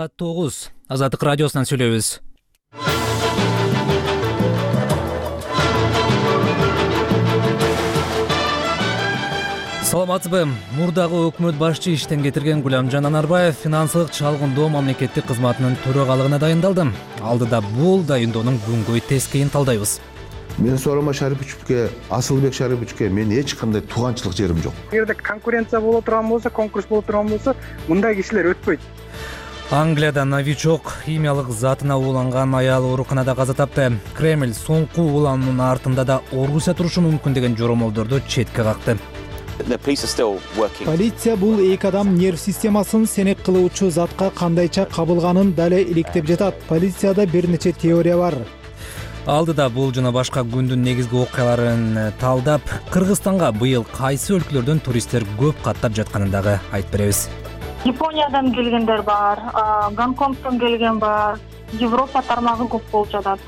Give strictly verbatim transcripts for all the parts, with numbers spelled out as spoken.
Саат тогуз. Азаттык радиосунан сүйлөйбүз. Саламатсызбы? Мурдагы өкмөт башчы иштен кетирген Гуламжан Анарбаев финансылык чалгындоо мамлекеттик кызматынын төрагалыгына дайындалды. Алдыда бул дайындоонун бүгүнкү тескейин талдайбыз. Мен Сооронбай Шариповичке, Асылбек Шариповичке мен эч кандай тууганчылык жерим жок. Эгерде конкуренция боло турган болсо, конкурс боло турган болсо, мындай кишилер өтпөйт. Англияда новичок химиялык затына ууланган аял ооруканада каза тапты. Кремль соңку улануунун артында да Орусия турушу мүмкүн деген жоромолдорду четке какты. Полиция бул эки адам нерв системасын сенек кылуучу затка кандайча кабылганын дале иликтеп жатат. Полицияда бир нече теория бар. Алдыда бул жана башка күндүн негизги окуяларын талдап, Кыргызстанга быйыл кайсы өлкөлөрдөн туристтер көп каттап жатканын дагы айтып беребиз. Япониядан келгендер бар, Гонконгдон келген бар, Европа тармагы көп болуп жатат.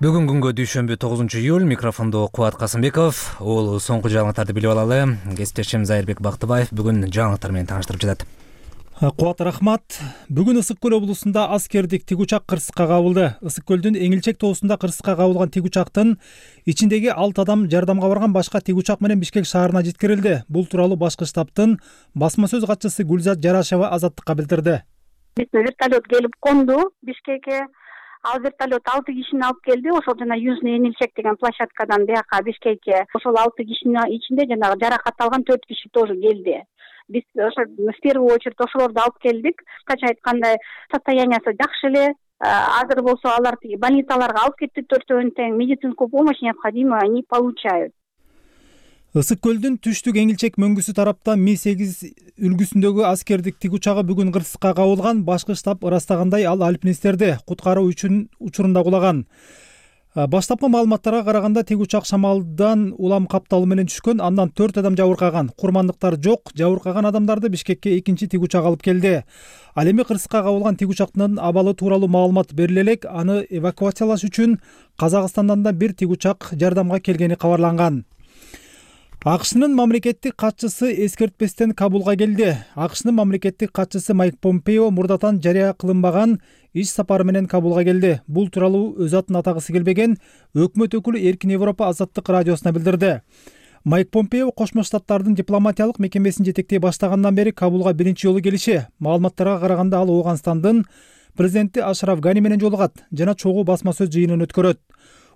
Бүгүн күнгө дүйшөмбү тогузунчу июль, микрофондо Кубат Касымбеков. Ол соңку жаңылыктарды билип алалы. Кесиптешим Зайырбек Бактыбаев бүгүн жаңылыктар менен тааныштырып жатат. Кубат рахмат. Бүгүн Ысык көл облусунда аскердик тик учак кырсыкка кабылды. Ысык көлдүн Эңилчек тоосунда кырсыкка кабылган тик учактын ичиндеги алты адам жардамга барган башка тик учак менен Бишкек шаарына жеткирилди. Бул тууралуу башкы штабтын басма сөз катчысы Гүлзат Жарашева Азаттыкка билдирди. Вертолет келип конду Бишкекке. Ал вертолет алты кишини алып келди. Ошол жана Южный Эңилчек деген площадкадан бияка Бишкекке. Ошол алты кишинин ичинде жанагы жаракат алган төрт киши тоже келди. Биз ошо в первую очередь ошолорду алып келдик. Кыскача айтканда состояниясы жакшы эле. Азыр болсо алар больницаларга алып кетти, төртөөнүн тең медицинскую помощь необходимо они получают. Ысык көлдүн түштүк Эңилчек мөңгүсү тарапта Ми сегиз үлгүсүндөгү аскердик тик учагы бүгүн кырсыкка кабылган. Башкы штаб ырастагандай ал альпинисттерди куткаруу үчүн учурунда кулаган. Баштапкы маалыматтарга караганда тик учак шамалдан улам капталуу менен түшкөн, андан төрт адам жабыркаган. Курмандыктар жок, жабыркаган адамдарды Бишкекке экинчи тик учак алып келди. Ал эми кырсыкка кабылган тик учактын абалы тууралуу маалымат бериле элек, аны эвакуациялаш үчүн Казакстандан да бир тик учак жардамга келгени кабарланган. АКШнын мамлекеттик катчысы эскертпестен Кабулга келди. АКШнын мамлекеттик катчысы Майк Помпео мурдатан жарыя кылынбаган иш сапары менен Кабулга келди. Бул тууралуу өз атын атагысы келбеген өкмөт өкүлү Эркин Европа Азаттык радиосуна билдирди. Майк Помпео Кошмо Штаттардын дипломатиялык мекемесин жетектей баштагандан бери Кабулга биринчи жолу келиши. Маалыматтарга караганда ал Ооганстандын президенти Ашраф Гани менен жолугат жана чогуу басма сөз жыйынын өткөрөт.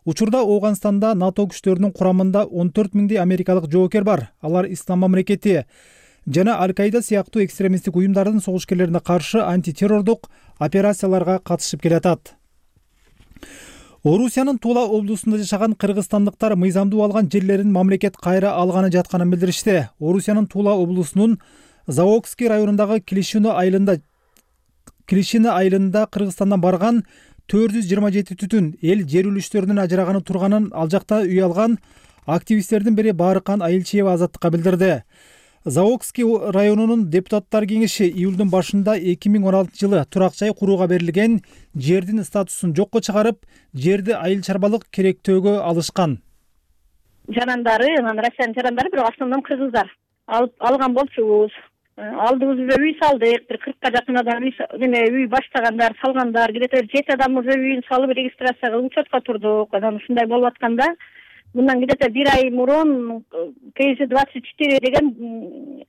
Учурда Ооганстанда НАТО күчтөрүнүн курамында он төрт миңдей америкалык жоокер бар. Алар Ислам мамлекети жана Аль-Каида сыяктуу экстремисттик уюмдардын согушкерлерине каршы антитеррордук операцияларга катышып келатат. Орусиянын Тула облусунда жашаган кыргызстандыктар мыйзамдуу алган жерлерин мамлекет кайра алганы жатканын билдиришти. Орусиянын Тула облусунун Заокский районундагы Клишино айылында Клишино айылында Кыргызстандан барган төрт жүз жыйырма жети түтүн эл жер үлүштөрүнүн ажыраганы турганын ал жакта үй алган активисттердин бири Баарыкан Айылчиева Азаттыкка билдирди. Заокский районунун депутаттар кеңеши июлдун башында эки миң он алтынчы жылы турак жай курууга берилген жердин статусун жокко чыгарып, жерди айыл чарбалык керектөөгө алышкан. Жарандары, анан Россиянын жарандары бирок основном кыргыздар алып алган болчубуз. Алдыбызда үй салдык, бир кыркка жакын адам эме үй баштагандар, салгандар, где-то жети адам уже үйүн салып регистрация кылып учетко турдук. Анан ушундай болуп атканда, мындан где-то бир ай мурун К З двадцать четыре деген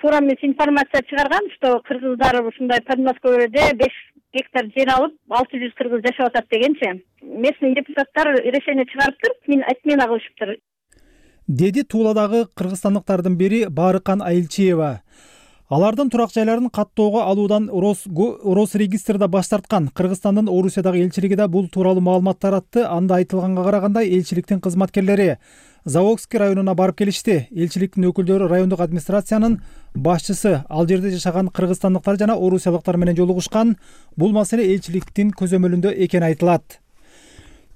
туура эмес информация чыгарган, что кыргыздар ушундай Подмосковьеде беш гектар жер алып, алты жүз кыргыз жашап атат дегенчи. Местный депутаттар решение чыгарыптыр, мен отмена кылышыптыр. Деди Туладагы кыргызстандыктардын бири Баарыкан Айылчиева. Алардын турак жайларын каттоого алуудан Росрегистрда баш тарткан. Кыргызстандын Орусиядагы элчилиги да бул тууралуу маалымат таратты. Анда айтылганга караганда элчиликтин кызматкерлери Заокский районуна барып келишти. Элчиликтин өкүлдөрү райондук администрациянын башчысы, ал жерде жашаган кыргызстандыктар жана орусиялыктар менен жолугушкан. Бул маселе элчиликтин көзөмөлүндө экени айтылат.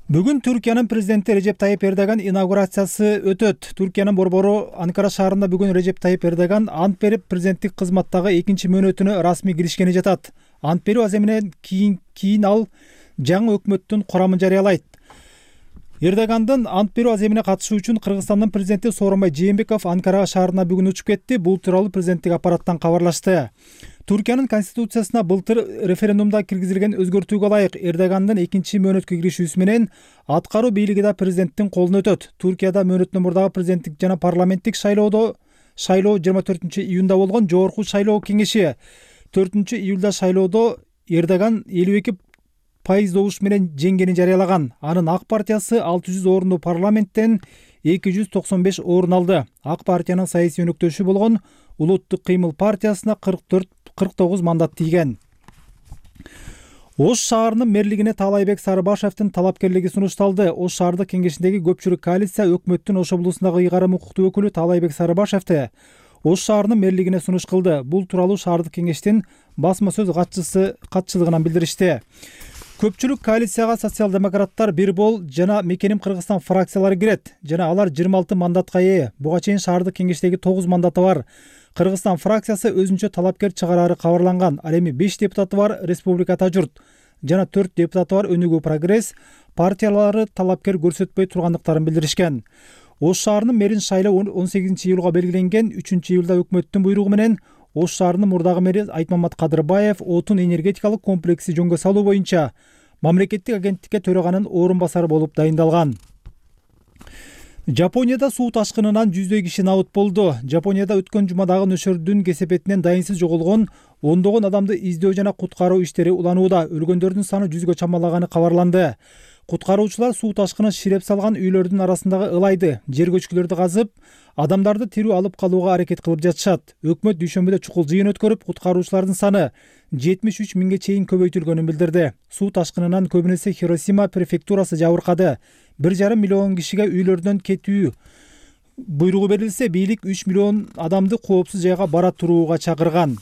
Бүгүн Түркиянын президенти Режеп Тайип Эрдоган инаугурациясы өтөт. Түркиянын борбору Анкара шаарында бүгүн Режеп Тайип Эрдоган ант берип президенттик кызматтагы экинчи мөөнөтүнө расмий киришкени жатат. Ант берүү аземинен кийин кийин ал жаңы өкмөттүн курамын жарыялайт. Эрдогандын ант берүү аземине катышуу үчүн Кыргызстандын президенти Сооронбай Жээнбеков Анкара шаарына бүгүн учуп кетти. Бул тууралуу президенттик аппараттан кабарлашты. Туркиянын конституциясына былтыр референдумда киргизилген өзгөртүүгө ылайык Эрдогандын экинчи мөөнөткө киришүүсү менен аткаруу бийлиги да президенттин колуна өтөт. Туркияда мөөнөттөн мурдагы президенттик жана парламенттик шайлоодо шайлоо жыйырма төртүнчү июнда болгон жогорку шайлоо кеңеши төртүнчү июлда шайлоодо Эрдоган элүү эки пайыз добуш менен жеңгенин жарыялаган. Анын Ак партиясы алты жүз орунду парламенттен эки жүз токсон беш орун алды. Ак партиянын саясий өнөктөшү болгон Улуттук кыймыл партиясына кырк төрт кырк тогуз мандат тийген. Ош шаарынын мэрлигине Таалайбек Сарыбашевдин талапкерлиги сунушталды. Ош шаардык кеңешиндеги көпчүлүк коалиция өкмөттүн Ош облусундагы ыйгарым укуктуу өкүлү Таалайбек Сарыбашевди Ош шаарынын мэрлигине сунуш кылды. Бул тууралуу шаардык кеңештин басма сөз катчысы катчылыгынан билдиришти. Көпчүлүк коалицияга социал-демократтар, Бир бол жана Мекеним Кыргызстан фракциялары кирет жана алар жыйырма алты мандатка ээ. Буга чейин шаардык кеңештеги тогуз мандаты бар. Кыргызстан фракциясы өзүнчө талапкер чыгарары кабарланган. Ал эми беш депутаты бар Республика Ата журт жана төрт депутаты бар Өнүгүү Прогресс партиялары талапкер көрсөтпөй тургандыктарын билдиришкен. Ош шаарынын мэрин шайлоо он сегизинчи июлга белгиленген. үчүнчү июлда өкмөттүн буйругу менен Ош шаарынын мурдагы мэри Айтмамат Кадырбаев отун энергетикалык комплекси жөнгө салуу боюнча мамлекеттик агенттикке төраганын орун басары болуп дайындалган. Жапонияда суу ташкынынан жүздөй киши набыт болду. Жапонияда өткөн жумадагы нөшөрдүн кесепетинен дайынсыз жоголгон ондогон адамды издөө жана куткаруу иштери уланууда. Өлгөндөрдүн саны жүзгө чамалаганы кабарланды. Куткаруучулар суу ташкыны ширеп салган үйлөрдүн арасындагы ылайды, жер көчкүлөрдү казып, адамдарды тирүү алып калууга аракет кылып жатышат. Өкмөт дүйшөмбүдө чукул жыйын өткөрүп, куткаруучулардын саны жетимиш үч миңге чейин көбөйтүлгөнүн билдирди. Суу ташкынынан көбүнесе Хиросима префектурасы жабыркады. бир жарым миллион кишиге үйлөрдөн кетүү буйругу берилсе, бийлик үч миллион адамды коопсуз жайга бара турууга чакырган.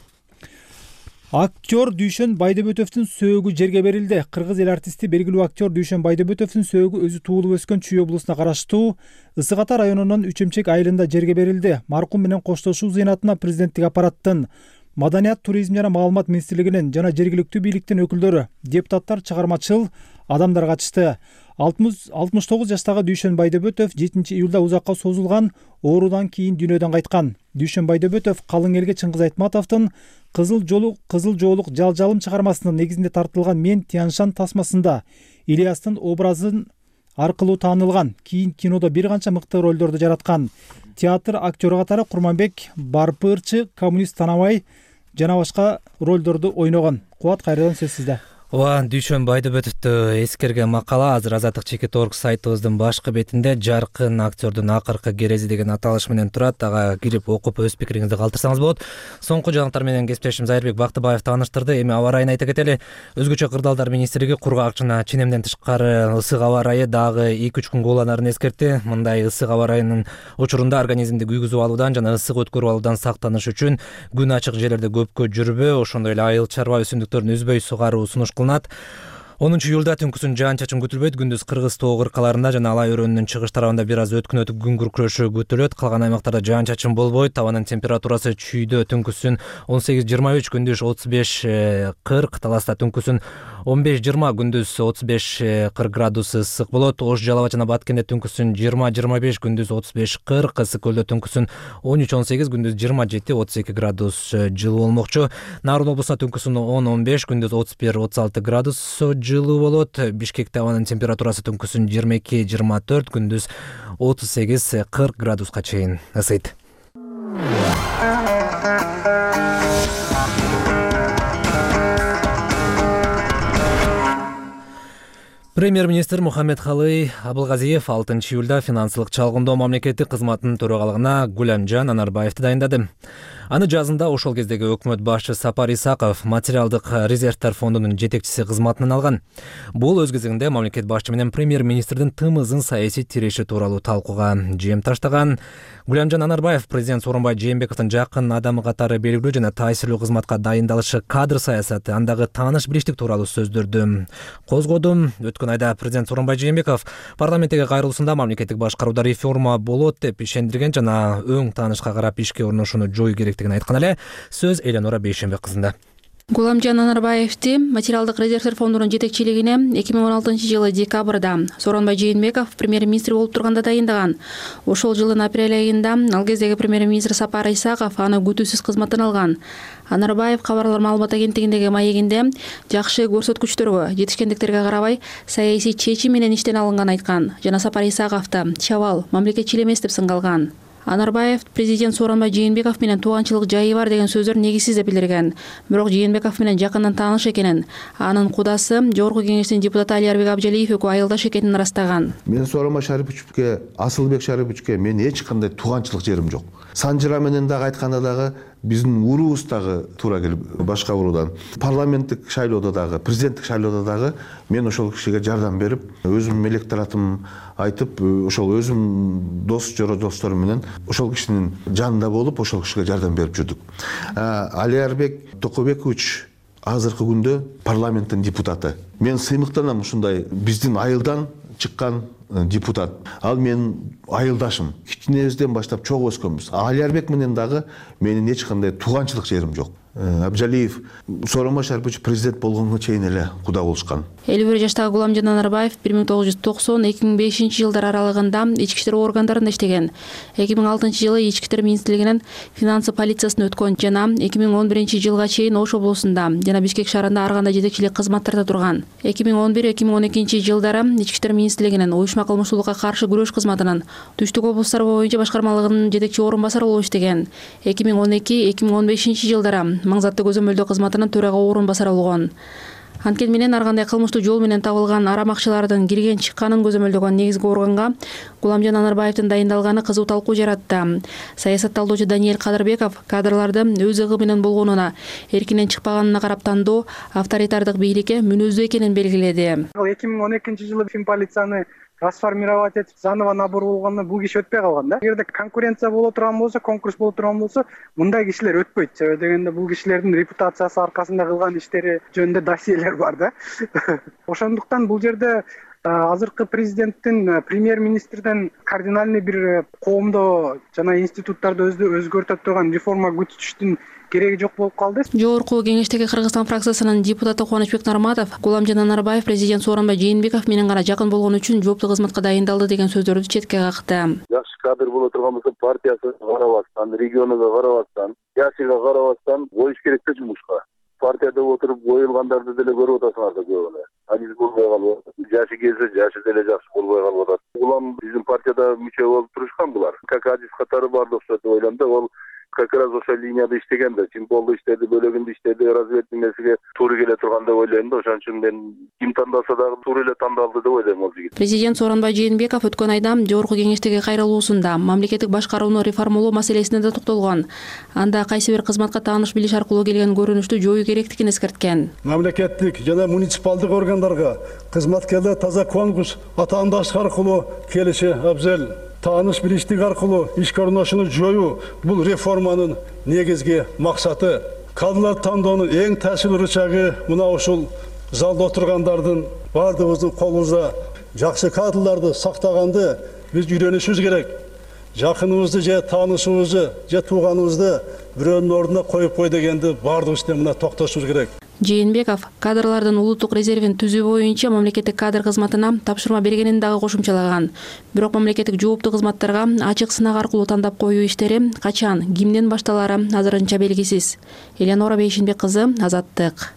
Актер Дүйшөн Байдөбөтөвдүн сөөгү жерге берилди. Кыргыз эл артисти белгилүү актер Дүйшөн Байдөбөтөвдүн сөөгү өзү туулуп өскөн Чүй облусуна караштуу Ысык Ата районунун Үчөмчек айылында жерге берилди. Маркум менен коштошуу зыйнатына президенттик аппараттын, Маданият, туризм жана маалымат министрлигинин жана жергиликтүү бийликтин өкүлдөрү, депутаттар, чыгармачыл адамдар катышты. алтымыш тогуз жаштагы Дүйшөн Байдөбөтөв жетинчи июлда узакка созулган оорудан кийин дүйнөдөн кайткан. Дүйшөн Байдөбөтөв Калың элге Чыңгыз Айтматовдун Кызыл жолук Кызыл жоолук жалжалым чыгармасынын негизинде тартылган Мен Тяншан тасмасында Ильястын образын аркылуу таанылган. Кийин кинодо бир канча мыкты ролдорду жараткан. Театр актёру катары Курманбек Барпырчы, Коммунист Танабай жана башка ролдорду ойногон. Кубат, кайрадан сөз сизде. Ооба, Дүйшөн Байдөбөтөвдү эскерген макала азыр Азаттык чекит орг сайтыбыздын башкы бетинде Жаркын актёрдун акыркы керези деген аталыш менен турат. Ага кирип окуп өз пикириңизди калтырсаңыз болот. Соңку жаңылыктар менен кесиптешим Зайырбек Бактыбаев тааныштырды. Эми аба ырайын айта кетели. Өзгөчө кырдаалдар министрлиги кургак жана ченемден тышкары ысык аба ырайы дагы эки үч күн кууланарын эскертти. Мындай ысык аба ырайынын учурунда организмди күйгүзүп алуудан жана ысык өткөрүп алуудан сактаныш үчүн күн ачык жерлерде көпкө жүрбөө, ошондой эле айыл чарба өсүмдүктөрүн үзбөй сугаруу сунуш кылынат. онунчу июлда түнкүсүн жаан-чачын күтүлбөйт. Күндүз Кыргыз тоо кыркаларында жана Алай өрөөнүнүн чыгыш тарабында бир аз өткүн өтүп күн күркүрөшү күтүлөт. Калган аймактарда жаан-чачын болбойт. Табанын температурасы Чүйдө түнкүсүн он сегиз жыйырма үч, күндүз отуз беш кырк, Таласта түнкүсүн он беш жыйырма, күндүз отуз беш кырк градус ысык болот. Ош, Жалал абад жана Баткенде түнкүсүн жыйырма жыйырма беш, күндүз отуз беш кырк, Ысык көлдө түнкүсүн он үч он сегиз, күндүз жыйырма жети отуз эки градус жылуу болмокчу. Нарын облусунда түнкүсүн он он беш, күндүз отуз бир отуз алты градус жылуу болот. Бишкекте абанын температурасы түнкүсүн жыйырма эки жыйырма төрт, күндүз отуз сегиз кырк градуска чейин ысыйт. Премьер-министр Мухаммедкалый Абылгазиев алтынчы июлда финансылык чалгындоо мамлекеттик кызматынын төрагалыгына Гүлөмжан Анарбаевди дайындады. Аны жазында ошол кездеги өкмөт башчы Сапар Исаков материалдык резервдер фондунун жетекчиси кызматынан алган. Бул өз кезегинде мамлекет башчы менен премьер-министрдин тым ызын саясий тиреши тууралуу талкууга жем таштаган. Гүлөмжан Анарбаев президент Сооронбай Жээнбековдун жакын адамы катары белгилүү жана таасирлүү кызматка дайындалышы, кадр саясаты, андагы тааныш билиштик тууралуу сөздөрдү козгоду. Өткөн айда президент Сооронбай Жээнбеков парламенттеги кайрылуусунда мамлекеттик башкарууда реформа болот деп ишендирген жана өң таанышка карап ишке орношууну жоюу керектигин айткан эле. Сөз Эленора Бейшембек кызында. Гуламжан Анарбаевди материалдык резервдер фондунун жетекчилигине эки миң он алтынчы жылы декабрда Сооронбай Жээнбеков премьер-министр болуп турганда дайындаган. Ошол жылдын апрель айында ал кездеги премьер-министр Сапар Исаков аны күтүүсүз кызматтан алган. Анарбаев кабарлар маалымат агенттигиндеги маегинде жакшы көрсөткүчтөргө жетишкендиктерге карабай саясий чечим менен иштен алынган айткан жана Сапар Исаковду чабал, мамлекетчил эмес деп сынгалган. Анарбаев президент Сооронбай Жээнбеков менен тууганчылык жайы бар деген сөздөр негизсиз деп билдирген. Бирок Жээнбеков менен жакындан тааныш экенин, анын кудасы Жогорку Кеңештин депутаты Алиарбек Абжалиев экөө айылдаш экенин ырастаган. Мен Сооронбай Шариповичке, Асылбек Шариповичке мен эч кандай тууганчылык жерим жок. Санжыра менен дагы айтканда дагы биздин уруубуз дагы туура келип башка уруудан. Парламенттик шайлоодо дагы, президенттик шайлоодо дагы мен ошол кишиге жардам берип, өзүм электоратым айтып, ошол өзүм дос жоро досторум менен ошол кишинин жанында болуп, ошол кишиге жардам берип жүрдүк. Алиарбек Токобекович азыркы күндө парламенттин депутаты. Мен сыймыктанам ушундай биздин айылдан чыккан депутат. Ал менин айылдашым. Кичинебизден баштап чогуу өскөнбүз. Алиарбек менен дагы менин эч кандай тууганчылык жерим жок. Абжалиев Сооронбай Шарипович президент болгонго чейин эле куда болушкан. элүү бир жаштагы Гуламжан Анарбаев бир миң тогуз жүз токсон — эки миң бешинчи жылдар аралыгында ички иштер органдарында иштеген. эки миң алтынчы жылы ички иштер министрлигинин финансы полициясына өткөн жана эки миң он биринчи жылга чейин Ош облусунда жана Бишкек шаарында ар кандай жетекчилик кызматтарда турган. эки миң он бир — эки миң он экинчи жылдары ички иштер министрлигинин уюшма кылмыштуулукка каршы күрөш кызматынын түштүк облустар боюнча башкармалыгынын жетекчи орун басары болуп иштеген. эки миң он эки — эки миң он бешинчи жылдары маңзаттуу көзөмөлдөө кызматынын төрага орун басары болгон. Анткени менен ар кандай кылмыштуу жол менен табылган арам акчалардын кирген чыкканын көзөмөлдөгөн негизги органга Гуламжан Анарбаевдин дайындалганы кызуу талкуу жаратты. Саясатталдоочу Даниэль Кадырбеков кадрларды өз ыгы менен болгонуна, эркинен чыкпаганына карап тандоо авторитардык бийликке мүнөздүү экенин белгиледи. эки миң он экинчи жылы финполицияны трансформировать этип заново набор болгондо бул киши өтпөй калган да. Эгерде конкуренция боло турган болсо, конкурс боло турган болсо, мындай кишилер өтпөйт. Себеби дегенде бул кишилердин репутациясы аркасында кылган иштери жөнүндө досьелер бар да. Ошондуктан бул жерде азыркы президенттин премьер-министрден кардинальный бир коомдо жана институттарды өзгөртө турган реформа күтүштүн кереги жок болуп калды. Жогорку Кеңештеги Кыргызстан фракциясынын депутаты Кубанычбек Нарматов Гуламжан Анарбаев президент Сооронбай Жээнбеков менен гана жакын болгон үчүн жооптуу кызматка дайындалды деген сөздөрдү четке какты. Жакшы кадр боло турган болсо партиясы карабастан, регионуга карабастан, жашыга карабастан коюш керек да жумушка. Партияда отуруп коюлгандарды деле көрүп атасыңар да көбүнө. Аниз болбой калып, жашы келсе жашы деле жакшы болбой калып атат. Улам биздин партияда мүчө болуп турушкан булар. Как адис катары бардык деп ойлойм да, ол как раз ошол линияда иштеген да, символду иштеди, бөлөгүндө иштеди, разведка нерсеге туура келе турган деп ойлойм да. Ошон үчүн мен ким тандалса дагы туура эле тандалды деп ойлойм ал жигит. Президент Сооронбай Жээнбеков өткөн айда Жогорку Кеңештеги кайрылуусунда мамлекеттик башкарууну реформалоо маселесине да токтолгон. Анда кайсы бир кызматка тааныш билиш аркылуу келген көрүнүштү жоюу керектигин эскерткен. Мамлекеттик жана муниципалдык органдарга кызматкерлер таза конкурс атаандаш аркылуу келиши абзел. Тааныш билиштик аркылуу ишке орношууну жоюу бул реформанын негизги максаты. Кадрлар тандоонун эң таасирлүү рычагы мына ушул залда отургандардын бардыгыбыздын колубузда. Жакшы кадрларды сактаганды биз үйрөнүшүбүз керек. Жакыныбызды же таанышыбызды же тууганыбызды бирөөнүн ордуна коюп кой дегенди бардыгыбыз мына токтошубуз керек. Жээнбеков кадрлардын улуттук резервин түзүү боюнча мамлекеттик кадр кызматына тапшырма бергенин дагы кошумчалаган. Бирок мамлекеттик жооптуу кызматтарга ачык сынак аркылуу тандап коюу иштери качан, кимден башталары азырынча белгисиз. Элеонора Бейшинбек кызы, Азаттык.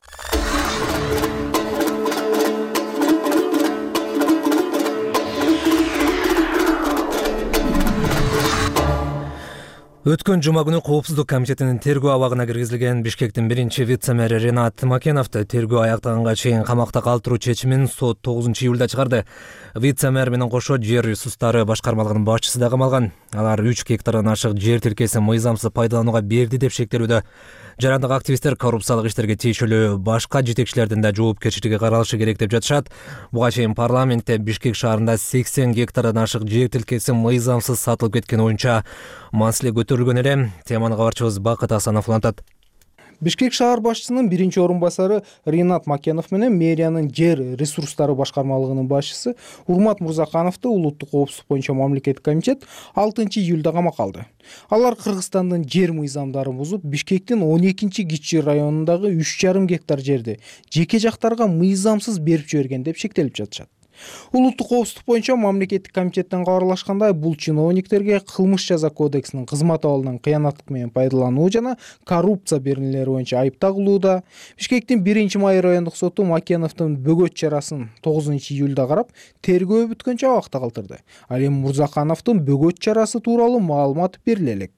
Өткөн жума күнү Коопсуздук комитетинин тергөө абагына киргизилген Бишкектин биринчи вице-мэри Ренат Макеновду тергөө аяктаганга чейин камакта калтыруу чечимин сот тогузунчу июлда чыгарды. Вице-мэр менен кошо жер ресурстары башкармалыгынын башчысы да камалган. Алар үч гектардан ашык жер тилкесин мыйзамсыз пайдаланууга берди деп шектелүүдө. Жарандык активисттер коррупциялык иштерге тийишелүү башка жетекчилердин да жоопкерчилиги каралышы керек деп жатышат. Буга чейин парламентте Бишкек шаарында сексен гектардан ашык жер тилкеси мыйзамсыз сатылып кеткен боюнча маселе көтөрүлгөн эле. Теманы кабарчыбыз Бакыт Асанов улантат. Бишкек шаар башчысынын биринчи орун басары Ринат Макенов менен мэриянын жер ресурстары башкармалыгынын башчысы Урмат Мурзакановду улуттук коопсуздук боюнча мамлекеттик комитет алтынчы июлда камакка алды. Алар Кыргызстандын жер мыйзамдарын бузуп, Бишкектин он экинчи Кичи районундагы үч жарым гектар жерди жеке жактарга мыйзамсыз берип жиберген деп шектелип жатышат. Улуттук коопсуздук боюнча мамлекеттик комитеттен кабарлашкандай, бул чиновниктерге кылмыш жаза кодексинин кызмат абалынан кыянаттык менен пайдалануу жана коррупция беренелери боюнча айып тагылууда. Бишкектин биринчи май райондук соту Макеновдун бөгөт чарасын тогузунчу июлда карап, тергөө бүткөнчө абакта калтырды. Ал эми Мурзакановдун бөгөт чарасы тууралуу маалымат бериле элек.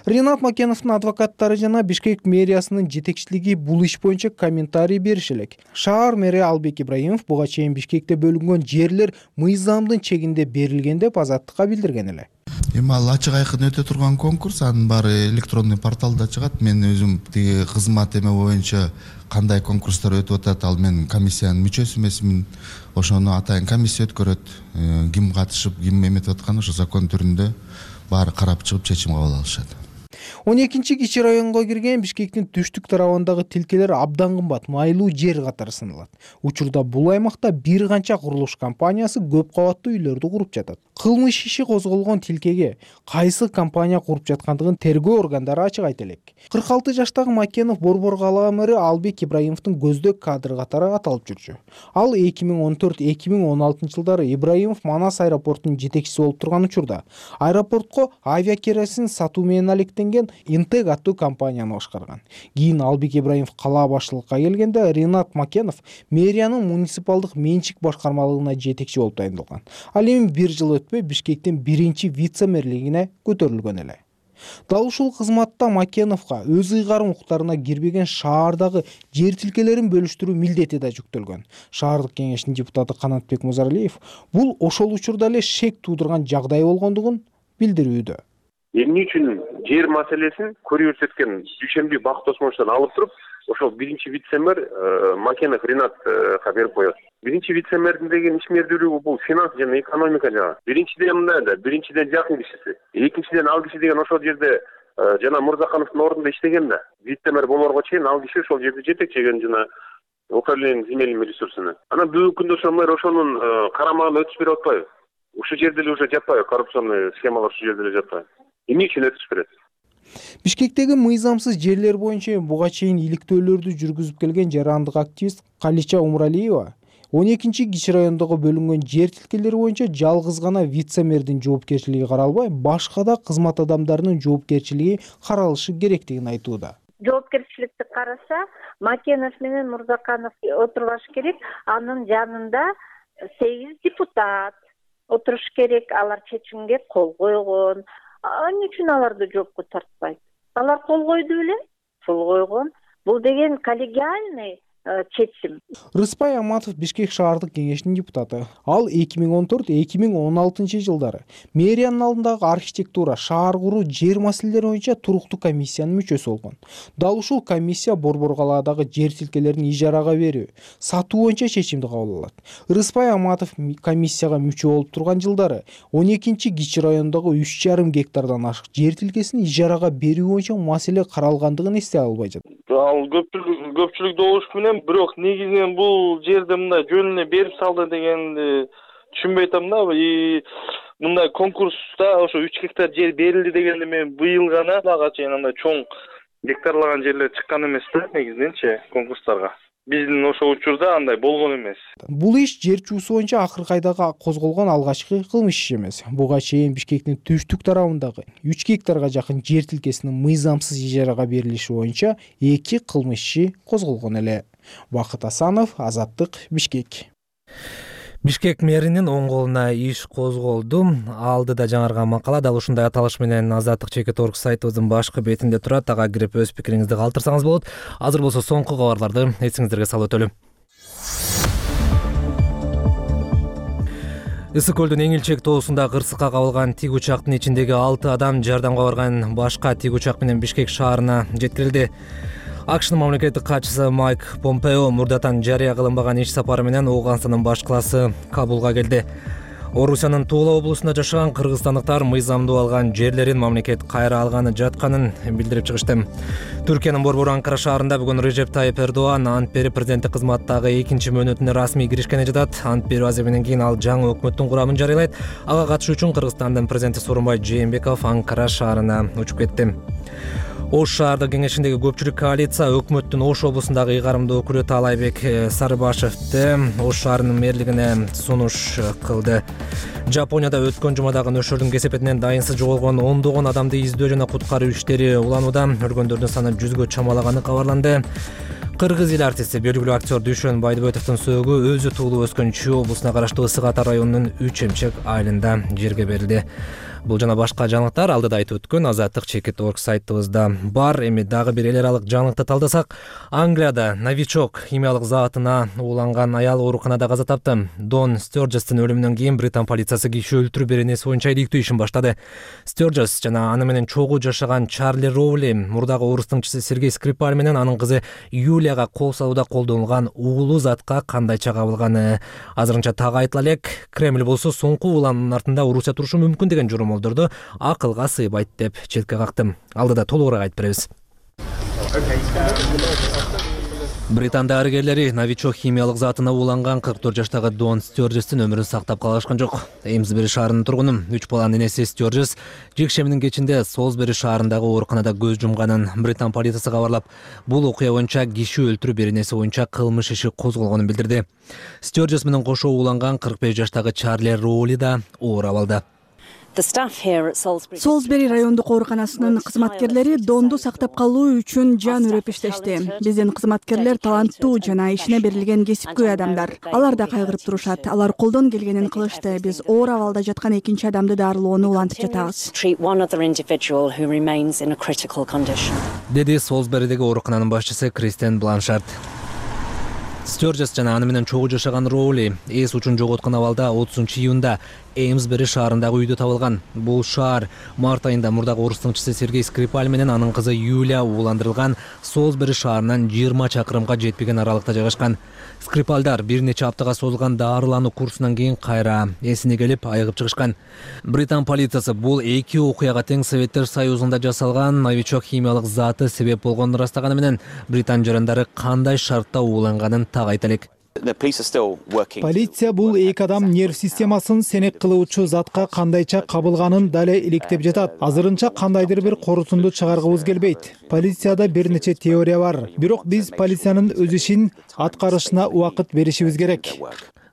Ринат Макеновдун адвокаттары жана Бишкек мэриясынын жетекчилиги бул иш боюнча комментарий бериш элек. Шаар мэри Албек Ибраимов буга чейин Бишкекте бөлүнгөн жерлер мыйзамдын чегинде берилген деп Азаттыкка билдирген эле. Эми ал ачык айкын өтө турган конкурс, анын баары электрондой порталда чыгат. Мен өзүм тиги кызмат эме боюнча кандай конкурстар өтүп атат, ал мен комиссиянын мүчөсү эмесмин. Ошону атайын комиссия өткөрөт. Ким катышып, ким эметип аткан ошо закон түрүндө баары карап чыгып чечим кабыл алышат. он экинчи Кичи районго кирген Бишкектин түштүк тарабындагы тилкелер абдан кымбат, майлуу жер катары саналат. Учурда бул аймакта бир канча курулуш компаниясы көп кабаттуу үйлөрдү куруп жатат. Кылмыш иши козголгон тилкеге кайсы компания куруп жаткандыгын тергөө органдары ачык айта элек. кырк алты жаштагы Макенов Борбор калаа мэрі Албек Ибраимовдун көздөк кадры катары аталып жүрчү. Ал эки миң он төрт эки миң он алтынчы жылдары Ибраимов Манас аэропортунун жетекчиси болуп турган учурда аэропортко авиакеросин сатуу менен алектенген Интег аттуу компанияны башкарган. Кийин Албек Ибраимов калаа башчылыкка келгенде Ринат Макенов мэриянын муниципалдык менчик башкармалыгына жетекчи болуп тайындалган. Ал эми бир жыл өтпөй Бишкектин биринчи вице-мэрлигине көтөрүлгөн эле. Дал ушул кызматта Макеновго өз ыйгарым укуктарына кирбеген шаардагы жер тилкелерин бөлүштүрүү милдети да жүктөлгөн. Шаардык кеңештин депутаты Канатбек Музаралиев бул ошол учурда эле шек туудурган жагдай болгондугун билдирүүдө. Эмне үчүн жер маселесин көрүү көрсөткөн Дүйшөмбү Бакыт Осмоновдон алып туруп, ошол биринчи вице-мэр Макенов Ринатка берип коет. Биринчи вице-мэрдин деген ишмердүүлүгү бул финанс жана экономика жагы. Биринчиден мындай да, биринчиден жакын кишиси. Экинчиден ал киши деген ошол жерде жана Мурзакановдун ордунда иштеген да. Вице-мэр болорго чейин ал киши ошол жерде жетекчеген жана управление земельными ресурсами. Анан бүгүнкү күндө ошол мэр ошонун карамагына өтүш берип атпайбы? Ушул жерде эле уже жатпайбы? Коррупционный схемалар ушул жерде эле жатпайбы? Эмне үчүн өтүш берет? Бишкектеги мыйзамсыз жерлер боюнча буга чейин иликтөөлөрдү жүргүзүп келген жарандык активист Калича Умралиева он экинчи Кичи райондогу бөлүнгөн жер тилкелери боюнча жалгыз гана вице-мэрдин жоопкерчилиги каралбай, башка да кызмат адамдарынын жоопкерчилиги каралышы керектигин айтууда. Жоопкерчиликти караса, Макенов менен Мурзаканов отурбаш керек, анын жанында сегиз депутат отуруш керек, алар чечимге кол койгон. Эмне үчүн аларды жоопко тартпайт? Алар кол койду беле? Кол койгон. Бул деген коллегиальный чечим. Рыспай Аматов Бишкек шаардык кеңешинин депутаты. Ал эки миң он төрт эки миң он алтынчы жылдары мэриянын алдындагы архитектура, шаар куруу, жер маселелери боюнча туруктуу комиссиянын мүчөсү болгон. Дал ушул комиссия Борбор калаадагы жер тилкелерин ижарага берүү, сатуу боюнча чечимди кабыл алат. Рыспай Аматов комиссияга мүчө болуп турган жылдары он экинчи Кичи районундагы үч жарым гектардан ашык жер тилкесин ижарага берүү боюнча маселе каралгандыгын эстей албай жатат. Ал көпчүлүк көпчүлүк добуш менен, бирок негизинен бул жерди мындай жөнүнө берип салды дегенди түшүнбөй атам да. И мындай конкурста ошо үч гектар жер берилди дегенди мен быйыл гана ага чейин андай чоң гектарлаган жерлер чыккан эмес да негизиненчи конкурстарга. Биздин ошол учурда андай болгон эмес. Бул иш жер чуусу боюнча акыркы айда козголгон алгачкы кылмыш иш эмес. Буга чейин Бишкектин түштүк тарабындагы үч гектарга жакын жер тилкесинин мыйзамсыз ижарага берилиши боюнча эки кылмыш иши козголгон эле. Бакыт Асанов, Азаттык, Бишкек. Бишкек мэринин оң колуна иш козголду. Алдыда жаңырган макала дал ушундай аталыш менен Азаттык чекит орг сайтыбыздын башкы бетинде турат. Ага кирип өз пикириңизди калтырсаңыз болот. Азыр болсо соңку кабарларды эсиңиздерге салып өтөлүм. Ысык көлдүн Эңилчек тоосунда кырсыкка кабылган тик учактын ичиндеги алты адам жардамга барган башка тик учак менен Бишкек шаарына жеткирилди. АКШнын мамлекеттик катчысы Майк Помпео мурдатан жарыя кылынбаган иш сапары менен Ооганстандын баш калаасы Кабулга келди. Орусиянын Тула облусунда жашаган кыргызстандыктар мыйзамдуу алган жерлерин мамлекет кайра алганы жатканын билдирип чыгышты. Түркиянын борбору Анкара шаарында бүгүн Режеп Тайып Эрдоган ант берип президенттик кызматтагы экинчи мөөнөтүнө расмий киришкени жатат. Ант берүү азабынан кийин ал жаңы өкмөттүн курамын жарыялайт. Ага катышуу үчүн Кыргызстандын президенти Сооронбай Жээнбеков Анкара шаарына учуп кетти. Ош шаардык кеңешиндеги көпчүлүк коалиция өкмөттүн Ош облусундагы ыйгарымдуу өкүлү Таалайбек Сарыбашевди Ош шаарынын мэрлигине сунуш кылды. Жапонияда өткөн жумадагы нөшөрдүн кесепетинен дайынсыз жоголгон ондогон адамды издөө жана куткаруу иштери уланууда. Өлгөндөрдүн саны жүзгө чамалаганы кабарланды. Кыргыз эл артисти, белгилүү актер Дүйшөн Байдыбетовдун сөөгү өзү туулуп өскөн Чүй облусуна караштуу Ысык Ата районунун Үч Эмчек айылында жерге берилди. Бул жана башка жаңылыктар алдыда айтып өткөн азаттык чекит точка орг сайтыбызда бар. Эми дагы бир эл аралык жаңылыкты талдасак, Англияда новичок химиялык заатына ууланган аял ооруканада каза тапты. Дон Стёрджестин өлүмүнөн кийин Британ полициясы киши өлтүрүү беренеси боюнча иликтөө ишин баштады. Стёрджес жана аны менен чогуу жашаган Чарли Роули мурдагы орус тыңчысы Сергей Скрипаль менен анын кызы Юлияга кол салууда колдонулган уулуу затка кандайча кабылганы азырынча так айтыла элек. Кремль болсо соңку уулануунун артында Орусия турушу мүмкүн деген журум акылга сыйбайт деп четке какты. Алдыда толугураак айтып беребиз. Британ дарыгерлери новичок химиялык заатына ууланган кырк төрт жаштагы Дон Стёрджестин өмүрүн сактап калышкан жок. Эймсбери шаарынын тургуну үч баланын энеси Стёрджес жекшембинин кечинде Солсбери шаарындагы ооруканада көз жумганын Британ полициясы кабарлап, бул окуя боюнча киши өлтүрүү беренеси боюнча кылмыш иши козголгонун билдирди. Стёрджес менен кошо ууланган кырк беш жаштагы Чарли Роули да оор абалда. Солсбери райондук ооруканасынын кызматкерлери Донду сактап калуу үчүн жан үрөп иштешти. Биздин кызматкерлер таланттуу жана ишине берилген кесипкөй адамдар. Алар да кайгырып турушат. Алар колдон келгенин кылышты. Биз оор абалда жаткан экинчи адамды дарылоону улантып жатабыз. Деди Солсберидеги оорукананын башчысы Кристен Бланшард. Стёрджес жана аны менен чогуу жашаган Роули эс учун жоготкон абалда отузунчу июнда Эймсбери шаарындагы үйдө табылган. Бул шаар март айында мурдагы орус тыңчысы Сергей Скрипаль менен анын кызы Юлия ууландырылган Солсбери шаарынан жыйырма чакырымга жетпеген аралыкта жайгашкан. Скрипальдар бир нече аптага созулган даарылануу курсунан кийин кайра эсине келип айыгып чыгышкан. Британ полициясы бул эки окуяга тең Советтер Союзунда жасалган новичок химиялык зааты себеп болгонун ырастаганы менен Британ жарандары кандай шартта ууланганын так айта элек. Полиция бул эки адам нерв системасын сенек кылуучу затка кандайча кабылганын дале иликтеп жатат. Азырынча кандайдыр бир корутунду чыгаргыбыз келбейт. Полицияда бир нече теория бар. Бирок биз полициянын өз ишин аткарышына убакыт беришибиз керек,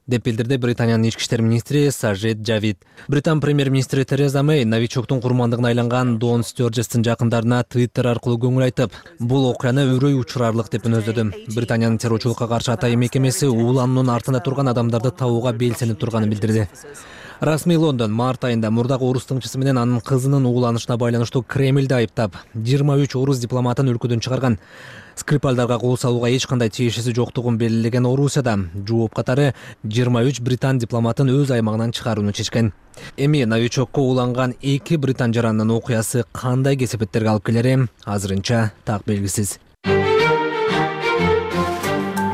деп билдирди Британиянын ички иштер министри Сажид Джавид. Британ премьер-министри Тереза Мэй новичоктун курмандыгына айланган Дон Стёрджестин жакындарына Твиттер аркылуу көңүл айтып, бул окуяны өрөй учурарлык деп үнөздөдү. Британиянын террорчулукка каршы атайын мекемеси уулануунун артында турган адамдарды табууга белсенип турганын билдирди. Расмий Лондон март айында мурдагы орус тыңчысы менен анын кызынын ууланышына байланыштуу Кремльди айыптап, жыйырма үч орус дипломатын өлкөдөн чыгарган. Скрипальдарга кол салууга эч кандай тиешеси жоктугун белгилеген Орусияда жооп катары жыйырма үч британ дипломатын өз аймагынан чыгарууну чечкен. Эми новичокко ууланган эки британ жарандын окуясы кандай кесепеттерге алып келери азырынча так белгисиз.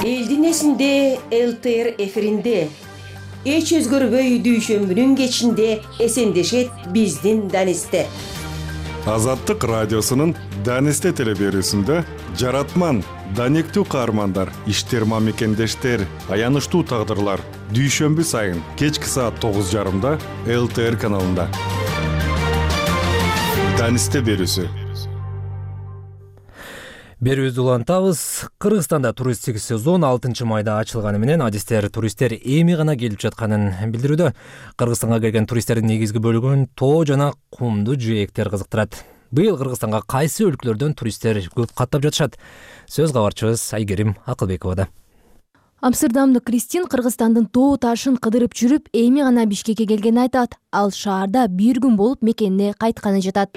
Элдин эсинде эл тэ эр эфиринде эч өзгөрбөй дүйшөмбүнүн кечинде эсендешет биздин Данисте. Азаттык радиосунун Данисте телеберүүсүндө жаратман, даниктүү каармандар, иштерма мекендештер, аянычтуу тагдырлар дүйшөмбү сайын кечки саат тогуз жарымда эл тэ эр каналында. Данисте берүүсү. Берүүбүздү улантабыз. Кыргызстанда туристтик сезон алтынчы майда ачылганы менен адистер туристтер эми гана келип жатканын билдирүүдө. Кыргызстанга келген туристтердин негизги бөлүгүн тоо жана кумдуу жээктер кызыктырат. Быйыл Кыргызстанга кайсы өлкөлөрдөн туристтер көп каттап жатышат? Сөз кабарчыбыз Айгерим Акылбековада. Амстердамдык Кристин Кыргызстандын тоо ташын кыдырып жүрүп, эми гана Бишкекке келгенин айтат. Ал шаарда бир күн болуп мекенине кайтканы жатат.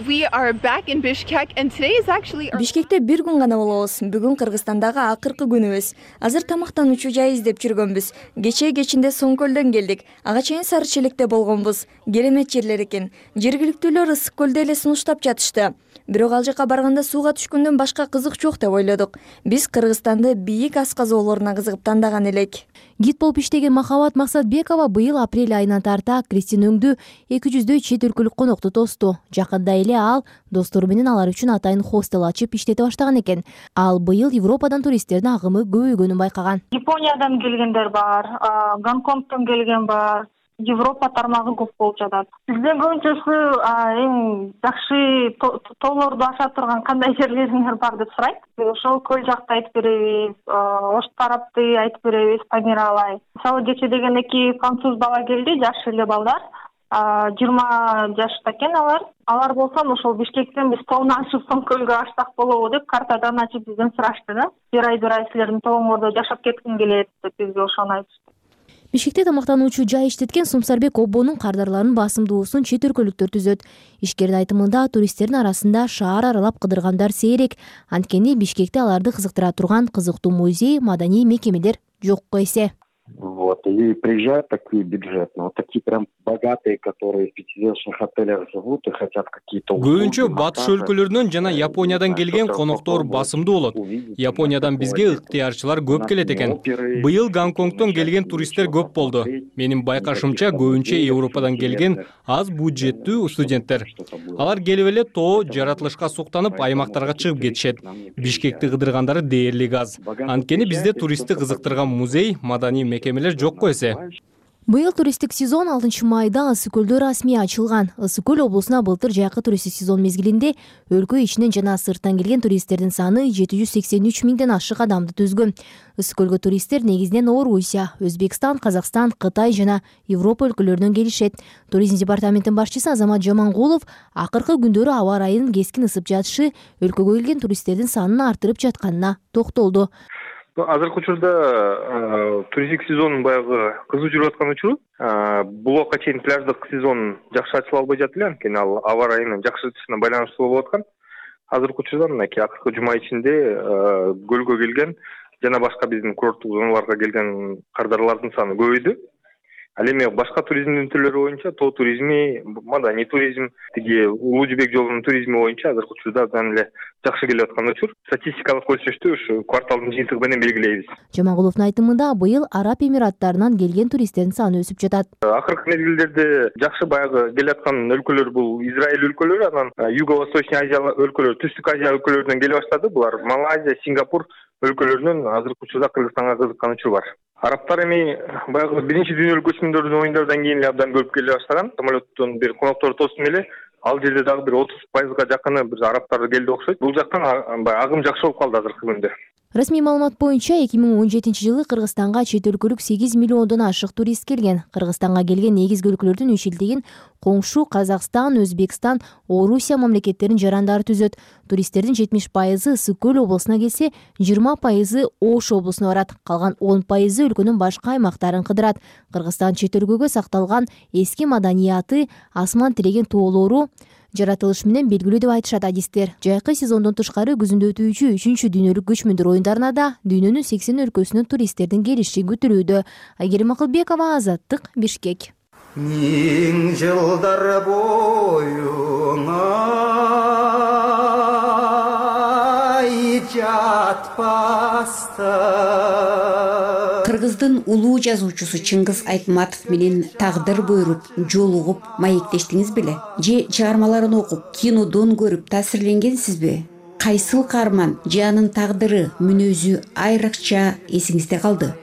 Бишкекте бир күн гана болобуз. Бүгүн Кыргызстандагы акыркы күнүбүз. Азыр тамактануучу жай издеп жүргөнбүз. Кечээ кечинде Соңкөлдөн келдик. Ага чейин Сары Челекте болгонбуз. Керемет жерлер экен. Жергиликтүүлөр ысык көлдө эле сунуштап жатышты. Бирок ал жака барганда сууга түшкөндөн башка кызык жок деп ойлодук. Биз Кыргызстанды бийик асказоолоруна кызыгып тандаган элек. Гид болуп иштеген Махабат Максатбекова быйыл апрель айынан тарта Кристин өңдү эки жүздөй чет өлкөлүк конокту тосту. Жакында эле ал достору менен алар үчүн атайын хостел ачып иштете баштаган экен. Ал быйыл Европадан туристтердин агымы көбөйгөнүн байкаган. Япониядан келгендер бар, Гонконгдон келген бар. Европа тармагы көп болуп жатат. Бизден көбүнчөсү эң жакшы тоолорду аша турган кандай жерлериңер бар деп сурайт. Ошол көл жакты айтып беребиз, Ош тарапты айтып беребиз, Памиралай. Мисалы кече деген эки француз бала келди, жаш эле балдар. жыйырма жашта экен алар. Алар болсо ошол Бишкектен биз тоону ашып соң көлгө ачсак болобу деп картадан ачып бизден сурашты да. Бир ай бир ай силердин тооңордо жашап кетким келет деп бизге ошону айтышты. Бишкекте тамактануучу жай иштеткен Сумсарбек Оббонун кардарларынын басымдуусун чет өлкөлүктөр түзөт. Ишкердин айтымында туристтердин арасында шаар аралап кыдыргандар сейрек. Анткени Бишкекте аларды кызыктыра турган кызыктуу музей, маданий мекемелер жокко эсе. Вот, и приезжают такие бюджетные, вот такие прям богатые, которые в пятизвездочных отелях живут и хотят какие-то услуги. Көбүнчө батыш өлкөлөрүнөн жана Япониядан келген коноктор басымдуу болот. Япониядан бизге ыктыярчылар көп келет экен. Быйыл Гонконгдон келген туристтер көп болду. Менин байкашымча көбүнчө Европадан келген аз бюджеттүү студенттер. Алар келип эле тоо жаратылышка суктанып аймактарга чыгып кетишет. Бишкекти кыдыргандары дээрлик аз. Анткени бизде туристти кызыктырган музей, маданий мекемелер жокко эсе. Быйыл туристтик сезон алтынчы майда Ысык көлдө расмий ачылган. Ысык көл облусуна былтыр жайкы туристтик сезон мезгилинде өлкө ичинен жана сырттан келген туристтердин саны жети жүз сексен үч миңден ашык адамды түзгөн. Ысык көлгө туристтер негизинен Орусия, Өзбекстан, Казакстан, Кытай жана Европа өлкөлөрүнөн келишет. Туризм департаментинин башчысы Азамат Жамангулов акыркы күндөрү аба ырайынын кескин ысып жатышы өлкөгө келген туристтердин санын артырып жатканына токтолду. Азыркы учурда туристтик сезонун баягы кызуу жүрүп аткан учуру. Булокко чейин пляждык сезон жакшы ачыла албай жатты эле, анткени ал аба ырайынын жакшыртышына байланыштуу болуп аткан. Азыркы учурда мынакей акыркы жума ичинде көлгө келген жана башка биздин курорттук зоналарга келген кардарлардын саны көбөйдү. Ал эми башка туризмдин түрлөрү боюнча тоо туризми, маданий туризм, тиги Улуу Жибек жолунун туризми боюнча азыркы учурда абдан эле жакшы келип аткан учур. Статистикалык көрсөтүштү ушу кварталдын жыйынтыгы менен белгилейбиз. Жамангуловдун айтымында быйыл Араб Эмираттарынан келген туристтердин саны өсүп жатат. Акыркы мезгилдерде жакшы баягы келип аткан өлкөлөр бул Израиль өлкөлөрү, анан Юго-Восточный Азия өлкөлөрү, Түштүк Азия өлкөлөрүнөн келип баштады. Булар Малайзия, Сингапур өлкөлөрүнөн азыркы учурда Кыргызстанга кызыккан учур бар. Арабтар эми баягы биринчи дүйнөлүк көчмөндөрдүн оюндарынан кийин эле абдан көп келе баштаган. Самолеттон бир конокторду тостум эле, ал жерде дагы бир отуз пайызга жакыны бир арабтар келди окшойт. Бул жактан агым жакшы болуп калды азыркы күндө. Расмий маалымат боюнча эки миң он жетинчи жылы Кыргызстанга чет өлкөлүк сегиз миллиондон ашык турист келген. Кыргызстанга келген негизги өлкөлөрдүн үчүлдүгүн коңшу Казакстан, Өзбекстан, Орусия мамлекеттеринин жарандары түзөт. Туристтердин жетимиш пайызы Ысык көл облусуна келсе, жыйырма пайызы Ош облусуна барат. Калган он пайызы өлкөнүн башка аймактарын кыдырат. Кыргызстан чет өлкөгө сакталган эски маданияты, асман тиреген тоолору жаратылыш менен белгилүү деп айтышат адистер. Жайкы сезондон тышкары күзүндө өтүүчү үчүнчү дүйнөлүк көчмөндөр оюндарына да дүйнөнүн сексен өлкөсүнөн туристтердин келиши күтүлүүдө. Айгерим Акылбекова, Азаттык, Бишкек. Миң жылдар боюңа жатпастан. Кыргыздын улуу жазуучусу Чыңгыз Айтматов менен тагдыр буйруп, жолугуп, маектештиңиз беле? Же чыгармаларын окуп, кинодон көрүп таасирленгенсизби? Кайсыл каарман же анын тагдыры, мүнөзү айрыкча эсиңизде калды?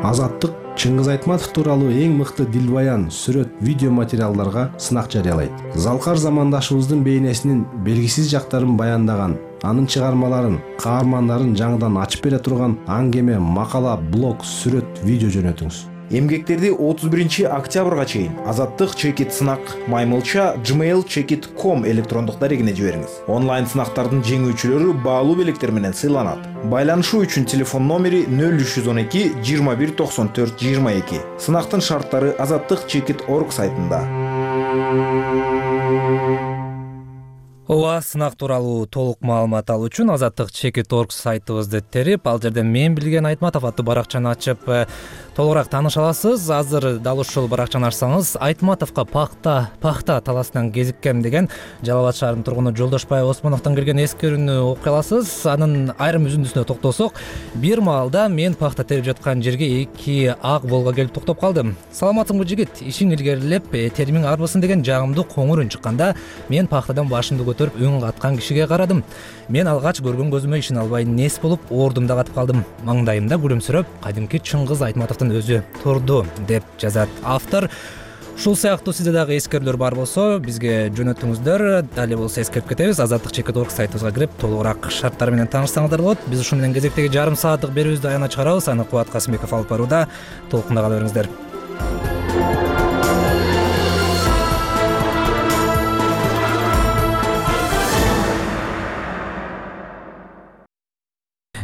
Азаттык Чыңгыз Айтматов тууралуу эң мыкты дилбаян, сүрөт, видео материалдарга сынак жарыялайт. Залкар замандашыбыздын бейнесинин белгисиз жактарын баяндаган, анын чыгармаларын, каармандарын жаңыдан ачып бере турган аңгеме, макала, блог, сүрөт, видео жөнөтүңүз. Эмгектерди отуз биринчи октябрга чейин Азаттык чекит сынак маймылча gmail чекит точка ком электрондук дарегине жибериңиз. Онлайн сынактардын жеңүүчүлөрү баалуу белектер менен сыйланат. Байланышуу үчүн телефон номери нөл үч жүз он эки жыйырма бир токсон төрт жыйырма эки. Сынактын шарттары азаттык чекит точка орг сайтында. ооба, сынак тууралуу толук маалымат алуу үчүн Азаттык чекит точка орг сайтыбызды терип, ал жерде Мен билген Айтматов аттуу баракчаны ачып толугураак тааныша аласыз. Азыр дал ушул баракчаны ачсаңыз, Айтматовго пахта пахта талаасынан кезиккем деген Жалал Абад шаарынын тургуну Жолдошбай Осмоновдон келген эскерүүнү окуй аласыз. Анын айрым үзүндүсүнө токтолсок, бир маалда мен пахта терип жаткан жерге эки ак Волга келип токтоп калдым. Саламатсыңбы жигит, ишиң илгерилеп, теримиң арбысын деген жагымдуу коңур үн чыкканда, мен пахтадан башымды көтөрүп үн каткан кишиге карадым. Мен алгач көргөн көзүмө ишине албай нес болуп, ордумда катып калдым. Маңдайымда күлүмсүрөп, кадимки Чыңгыз Айтматовдун өзү турду, деп жазат автор. Ушул сыяктуу сизде дагы эскерүүлөр бар болсо, бизге жөнөтүңүздөр. Дали болсо эскерип кетебиз. Азаттык чекит точка орг сайтыбызга кирип, толугураак шарттары менен таанышсаңыздар болот. Биз ушун менен кезектеги жарым сааттык берүүбүздү аянат чыгарабыз. Аны Кубат Касымбеков алып барууда. Толкунда кала бериңиздер.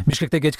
Бишкекте кечки